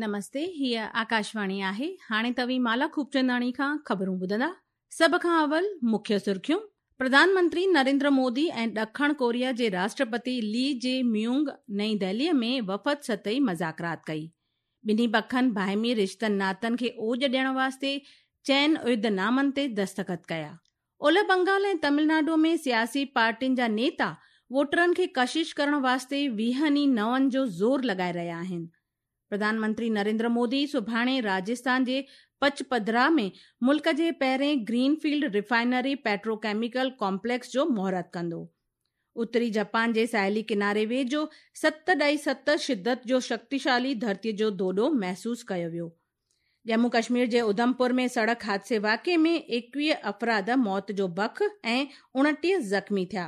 نمستي هيء آڪاشواڻي آهي هاڻي توهين مالا خوبچنداڻي کان خبرون ٻڌندا سڀ کان اول مکيه سرخيون پرڌان منتري نريندر مودي ۽ ڏکڻ ڪوريا جي راشٽرپتي لي جي ميونگ نئين دهلي ۾ وفد سطحي مذاڪرات ڪئي ٻنهي پکن باهمي رشتن ناتن کي اوڄ ڏيڻ واسطي چئن عهدنامن تي دستخط ڪيا اولهه بنگال ۽ تمل ناڊو ۾ سياسي پارٽين جا نيتا ووٽرن کي ڪشش ڪرڻ واسطي ويهن ئي نون جو زور لڳائي رهيا آهن. پرڌان منتري نريندر مودي سڀاڻي راجسٿان جي پچپڌرا ۾ ملڪ جي پهرين green field refinery petrochemical complex جو مهورت ڪندو. اتري جپان جي ساحلي ڪناري ويجهو 7.7 شدت جو شڪتيشالي ڌرتي جو ڌوڏو محسوس ڪيو ويو. ڄمون ڪشمير جي اڌمپور ۾ سڙڪ حادثي واقعي ۾ 21 افراد موت جو بک ۽ 29 زخمي ٿيا،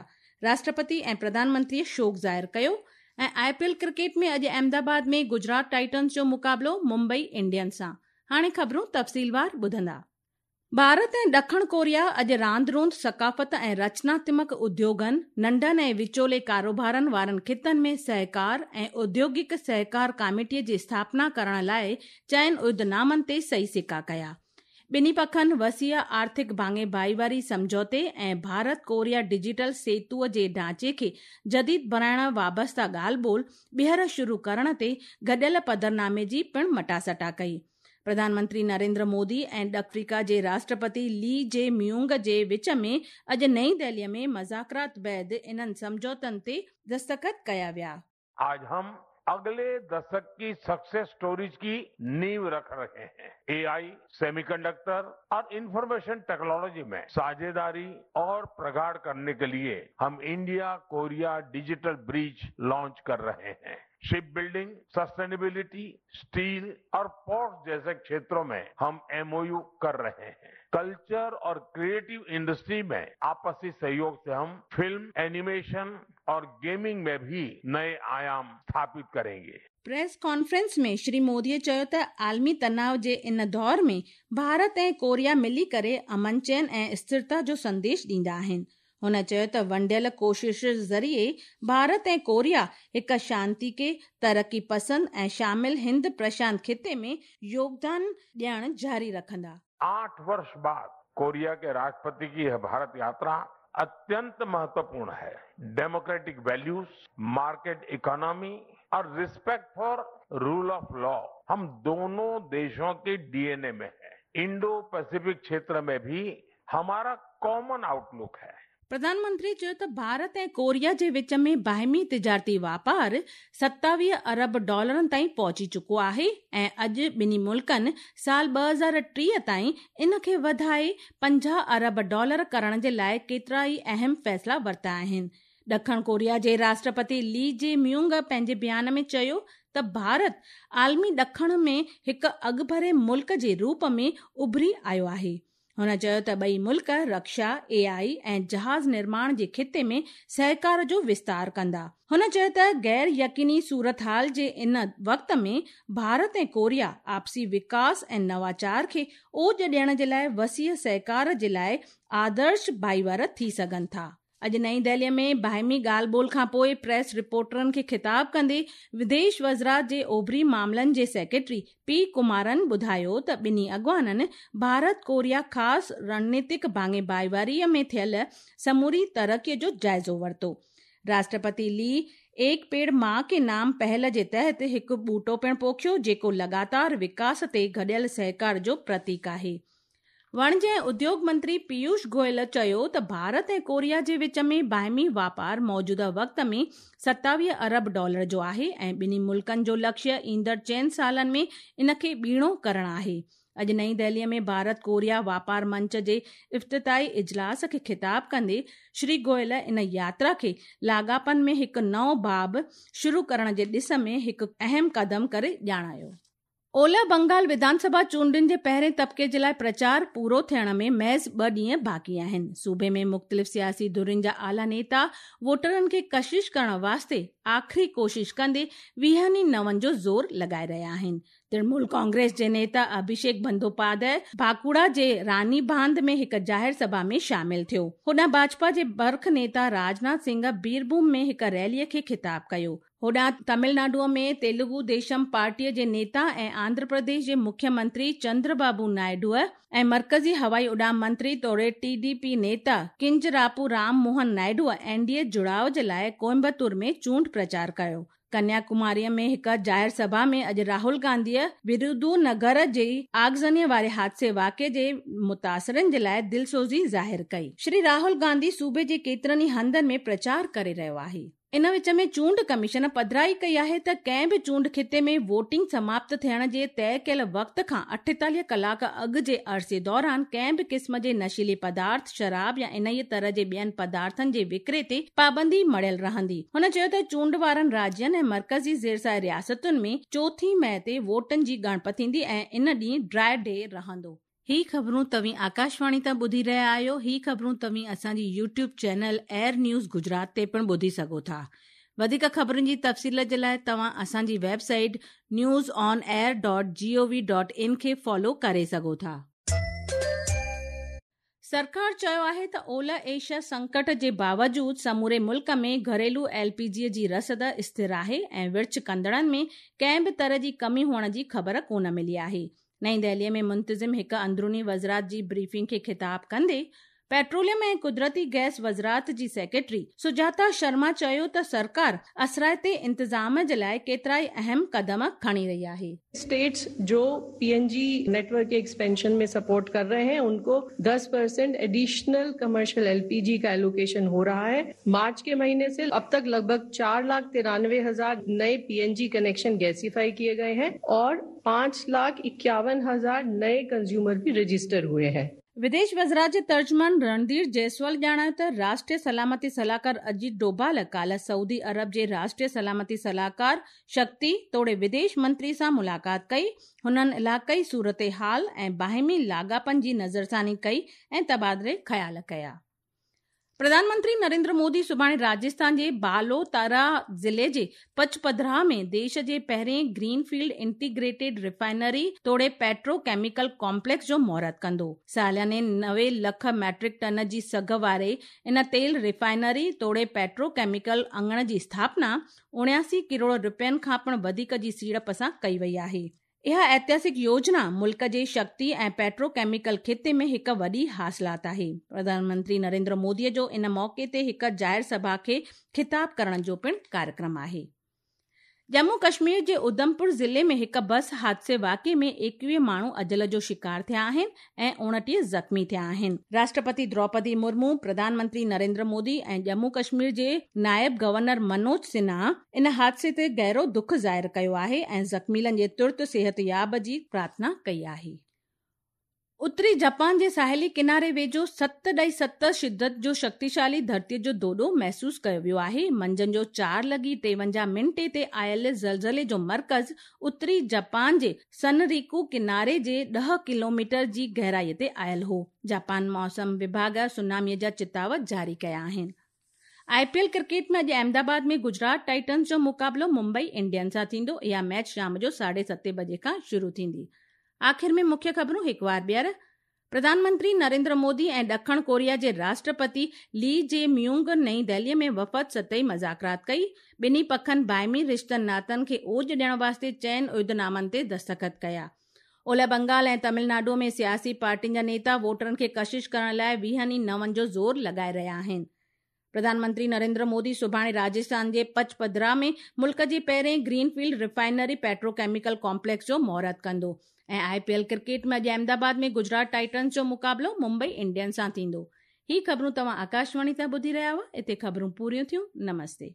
راشٽرپتي ۽ پرڌان منتري شوڪ ظاهر ڪيو ۽ آء پي ايل ڪرڪيٽ ۾ اڄ احمد آباد ۾ گجرات ٽائٽنز جو مقابلو ممبئي انڊينز سان، هاڻي خبرون تفصيلوار ٻڌندا. ڀارت ۽ ڏکڻ ڪوريا اڄ راند روند، ثقافت ۽ رچناتمڪ اديوگن، ننڍن ۽ وچولي ڪاروبارن وارن خطن ۾ سهڪار ۽ اوديوگڪ سهڪار ڪاميٽي جي اسٿاپنا ڪرڻ لاء چئن عهدنامن تي صحيح سڪا ڪيا. ٻنهي پکن وسيع آرٿڪ ڀاڱي ڀائيواري سمجهوتي ۽ ڀارت ڪوريا ڊجيٽل سيتوء جي ڍانچي کي جديد بڻائڻ وابسته ڳالهه ٻولهه ٻيهر شروع ڪرڻ تي گڏيل پڌرنامي جي پڻ مٽاسٽا ڪئي. پرڌان منتري نريندر مودي ۽ ڏکڻ آفريڪا جي راشٽرپتي لي جي ميونگ جي وچ ۾ اڄ نئين دهلي ۾ مذاڪرات بعد انهن سمجهوتن تي دستخط ڪيا ويا. آج هم اگلي دشڪ ڪي سڪسيس اسٽوريز ڪي نيو رک رهي هين. اي آئي، سيمي ڪنڊڪٽر اور انفارميشن ٽيڪنالوجي مين ساجهيداري اور پرگاڙ ڪرني ڪي ليي هم انڊيا ڪوريا ڊجيٽل برج لانچ ڪر رهي هين. شپ بلڊنگ، سسٽينيبلٽي، اسٽيل اور پورٽس جيسي کيترون مين هم ايم او يو ڪر رهي هين. ڪلچر اور ڪريئيٽو انڊسٽري مين آپسي سهيوگ سي هم فلم، اينيميشن اور گيمنگ مين ڀي نئي آيام اسٿاپت ڪرينگي. پريس ڪانفرنس ۾ شري مودي چيو ته عالمي تناء جي ان دور ۾ ڀارت ۽ ڪوريا ملي ڪري امن چين ۽ اسٿرتا جو سنديش ڏيندا آهن. هن چيو ته ونڊيل ڪوششن ذريعي ڀارت ۽ ڪوريا هڪ شانتيڪي، ترقي پسند ۽ شامل هند پرشانت خطي ۾ يوگدان ڏيڻ جاري رکندا. آٺ ورش بعد ڪوريا ڪي راشٽرپتي ڪي يھ ڀارت ياترا اتينت مهتوپورڻ هي. ڊيموڪريٽڪ ويليوز، مارڪيٽ اڪانومي اور respect for rule of law هم دونون ديشون ڪي ڊي اين اي ۾ هي. انڊو پيسفڪ کيتر ۾ ڀي همارا ڪامن آئوٽ لڪ هي. پرڌان منتري چيو ته ڀارت ۽ ڪوريا جي وچ ۾ باهمي تجارتي واپار 27 ارب ڊالرن تائين پهچي چڪو آهي ۽ اڄ ٻنهي ملڪن سال 2030 تائين ان کي وڌائي 50 ارب ڊالر ڪرڻ جي لاء ڪيترائي اهم فيصلا ورتا آهن. ڏکڻ ڪوريا جي راشٽرپتي لي جي ميونگ پنهنجي بيان ۾ چيو ته ڀارت عالمي ڏکڻ ۾ هڪ اڳڀري ملڪ جي روپ ۾ اڀري آيو آهي. هن چيو ته ٻئي ملڪ رڪشا، اي آء ۽ جهاز نرماڻ جي خطي ۾ سهڪار جو وستار ڪندا. هن چيو ته غير يقيني صورتحال جي ان وقت ۾ ڀارت ۽ ڪوريا آپسي وڪاس ۽ نواچار کي اوڄ ڏيڻ جي لاء وسيع سهڪار جي لاء آدرش ڀائيوار ٿي سگهن ٿا. اڄ نئين دهلي ۾ باهمي ڳالهه ٻولهه کانپوء پريس رپورٽرن کي خطاب ڪندي وديش وزرات جي اوڀري معاملن جي سيڪريٽري پي ڪمارن ٻڌايو ته ٻنهي اڳواڻن ڀارت ڪوريا خاص رڻنيتڪ ڀاڱي ڀائيواري ۾ ٿيل سموري ترقي جو جائزو ورتو. راشٽرپتي لي ايڪ پيڙ مان ڪي نام پهل جي تحت هڪ ٻوٽو پڻ پوکيو جيڪو لڳاتار وڪاس تي گڏيل سهڪار جو پرتيڪ آهي. وڻج ۽ اديوگ منتري پيوش گويل چيو ته ڀارت ۽ ڪوريا جي وچ ۾ باهمي واپار موجوده وقت ۾ 27 ارب ڊالر جو آهي ۽ ٻنهي ملڪن جو لڪشيه ايندڙ چئن سالن ۾ ان کي ٻيڻو ڪرڻ آهي. اڄ نئين دهلي ۾ ڀارت ڪوريا واپار منچ جي افتتاحي اجلاس کي خطاب ڪندي شري گويل ان ياترا کي لاڳاپن ۾ هڪ نئون باب شروع ڪرڻ جي ڏس ۾ هڪ اهم قدم ڪري ڄاڻايو. اولهه بنگال وڌان سڀا چونڊن جي پهرين طبقي جي لاء پرچار پورو ٿيڻ ۾ محض ٻه ڏينهن باقي آهن. صوبي ۾ مختلف سياسي ڌرين جا اعليٰ نيتا ووٽرن کي ڪشش ڪرڻ واسطي آخري ڪوشش ڪندي ويهن ئي نون جو زور لڳائي رهيا آهن. ترڻمول ڪانگريس جي نيتا اڀيشيڪ بندوپاڌيء باڪوڙا جي راني باند ۾ هڪ ظاهر سڀا ۾ شامل ٿيو. هوڏانهن ڀاجپا جي برک نيتا راجناٿ سنگهه بيرڀوم ۾ هڪ ريلي کي خطاب ڪيو. هوڏانهن تامل ناڊوء ۾ تيلگو ديشم پارٽيء جي نيتا ۽ آنڌرا پرديش جي مکيه منتري چندر بابو نائيڊوء ۽ مرڪزي هوائي اڏام منتري توڙي ٽي ڊي پي نيتا ڪنجراپو رام موهن نائيڊوء اين ڊي اي جڙاء جي لاء ڪوئمبتور ۾ چونڊ پرچار ڪيو. ڪنيا ڪماريء ۾ هڪ ظاهر سڀا ۾ اڄ راهول گانڌيء ورودو نگر جي آگزنيء واري حادثي واقعي جي متاثرن جي لاء دلسوزي ظاهر ڪئي. شري راهول گانڌي صوبي جي ڪيترن ئي هنڌن ۾ پرچار ڪري رهيو آهي. ان وچ ۾ چونڊ ڪميشن پڌرائي ڪئي آهي ته ڪنهن به چونڊ خطي ۾ ووٽنگ سماپت ٿيڻ جي طئي ڪيل وقت کان 48 ڪلاڪ اڳ جي عرصي دوران ڪنهن به قسم جي نشيلي پدارٿ، شراب يا انهيء طرح جي ٻين پدارٿن جي وڪري تي پابندي مڙهيل رهندي. هن چيو ته چونڊ وارن راجين ۽ مرڪزي زيرسايه رياستن ۾ چوٿين مئي تي ووٽن جي ڳڻپ ٿيندي ۽ ان ڏينهن ڊرائي ڊي رهندو. هي خبرون توهين آڪاشواڻي تان ٻڌي رهيا آهيو. هي خبرون توهين اسان جي YouTube channel AIR news Gujarat تي پڻ ٻڌي سگهو ٿا. وڌيڪ خبرن جي تفصيل جي لاء توهان اسان جي website news on air dot G O V dot in کي فالو ڪري سگهو ٿا. سرڪار چيو آهي ته اولهه ايشيا سنڪٽ جي باوجود سموري ملڪ ۾ گهريلو ايل پي جي جي رسد اسٿر آهي ۽ ورڇ ڪندڙن ۾ ڪنهن به طرح جي ڪمي هئڻ جي خبر ڪونه ملي آهي. نئين دهلي ۾ منتظم هڪ اندروني وزرات جي بريفنگ کي خطاب ڪندي پيٽروليم ۽ قدرتي گئس وزرات جي سيڪريٽري سجاتا شرما چيو ته سرڪار اثرائتي انتظام جي لاء ڪيترائي اهم قدم کڻي رهي آهي. اسٽيٽس جو پي اين جي نيٽ ورڪ ڪي ايڪسپينشن ۾ سپورٽ ڪر رهي هين ان ڪو 10% ايڊيشنل ڪمرشل ايل پي جي ڪا ايلوڪيشن هو رها هي. مارچ ڪي مهيني سي اب تڪ لڳ ڀڳ 4,93,000 نئي پي اين جي ڪنيڪشن گيسيفائي ڪيي گئي هين اور 5,51,000 نئي ڪنزيومر ڀي رجسٽر هئي هين. وديش وزارت جي ترجمان رڻڌير جئسوال ڄاڻايو ته راشٽريه سلامتي صلاحڪار اجيت ڊوڀال ڪالهه سعودي عرب جي راشٽريه سلامتي صلاحڪار شڪتي توڙي وديش منتري سان ملاقات ڪئي، هنن علائقائي صورتحال ۽ باهمي لاڳاپن جي نظرثاني ڪئي ۽ تبادلي خيال ڪيا. پرڌان منتري نريندر مودي سڀاڻي راجسٿان جي بالوتارا ضلعي جي پچپڌرا ۾ ديش جي پهرين گرين فيلڊ انٽيگريٽيڊ ريفائنري توڙي پيٽرو ڪيميڪل ڪامپليڪس جو مهورت ڪندو. سالياني 90 لک ميٽرڪ ٽن جي سگهه واري ان تيل ريفائنري توڙي پيٽرو ڪيميڪل اڱڻ جي اسٿاپنا 79 ڪروڙ رپين کان پڻ وڌيڪ جي سيڙپ سان ڪئي وئي آهي. اها ائتهاسڪ يوجنا ملڪ جي شڪتي ۽ پيٽرو ڪيميڪل خطي ۾ هڪ وڏي حاصلات آهي. پرڌان منتري نريندر مودي جو ان موقعي تي هڪ ظاهر سڀا کي خطاب ڪرڻ جو پڻ ڪاريڪرم آهي. ڄمون ڪشمير جي اڌمپور ضلعي ۾ هڪ بس حادثي واقعي ۾ 21 ماڻهو اجل جو شڪار ٿيا آهن ۽ 29 زخمي ٿيا آهن. راشٽرپتي دروپدي مرمو، پرڌان منتري نريندر مودي ۽ ڄمون ڪشمير جي نائب گورنر منوج سنها ان حادثي تي گهرو دک ظاهر ڪيو آهي ۽ زخميلن جي ترت صحتياب جي پرارٿنا ڪئي آهي. اتري جاپان جي ساحلي ڪناري ويجهو 7.7 شدت جو شڪتيشالي ڌرتيء جو ڌوڏو محسوس ڪيو ويو آهي. منجهند جو چار لڳي 53 منٽي تي آيل زلزلي جو مرڪز اتري جاپان جي سنريڪو ڪناري جي ڏهه ڪلوميٽر جي گهرائي تي آيل هو. جاپان موسم وڀاڳ سوناميء جا چتاء جاري ڪيا آهن. آء پي ايل ڪرڪيٽ ۾ اڄ احمد آباد ۾ گجرات ٽائٽنز جو مقابلو ممبئي انڊينز سان ٿيندو. اها ميچ شام جو ساڍي ستين بجي کان شروع ٿيندي. آخر ۾ مکيه خبرون هڪ وار ٻيهر. پرڌان منتري نريندر مودي ۽ ڏکڻ ڪوريا جي راشٽرپتي لي جي ميونگ نئين دهلي ۾ وفد سطحي مذاڪرات ڪئي. ٻنهي پکن باهمي رشتن ناتن کي اوج ڏيڻ واسطي چئن عهدنامن تي دستخط ڪيا. اولهه بنگال ۽ تامل ناڊو ۾ سياسي پارٽين جا نيتا ووٽرن کي ڪشش ڪرڻ لاء ويهن ئي نون جو زور لڳائي رهيا آهن. پرڌان منتري نريندر مودي سڀاڻي راجسٿان جي پچپڌرا ۾ ملڪ جي پهرين green field refinery petrochemical complex جو مهورت ڪندو ۽ آء پي ايل ڪرڪيٽ ۾ اڄ احمد آباد ۾ گجرات ٽائٽنز جو مقابلو ممبئي انڊينز سان ٿيندو. هي خبرون توهان آڪاشواڻي تان ٻڌي رهيا هئا. اتي خبرون پوريون ٿيون. نمستي.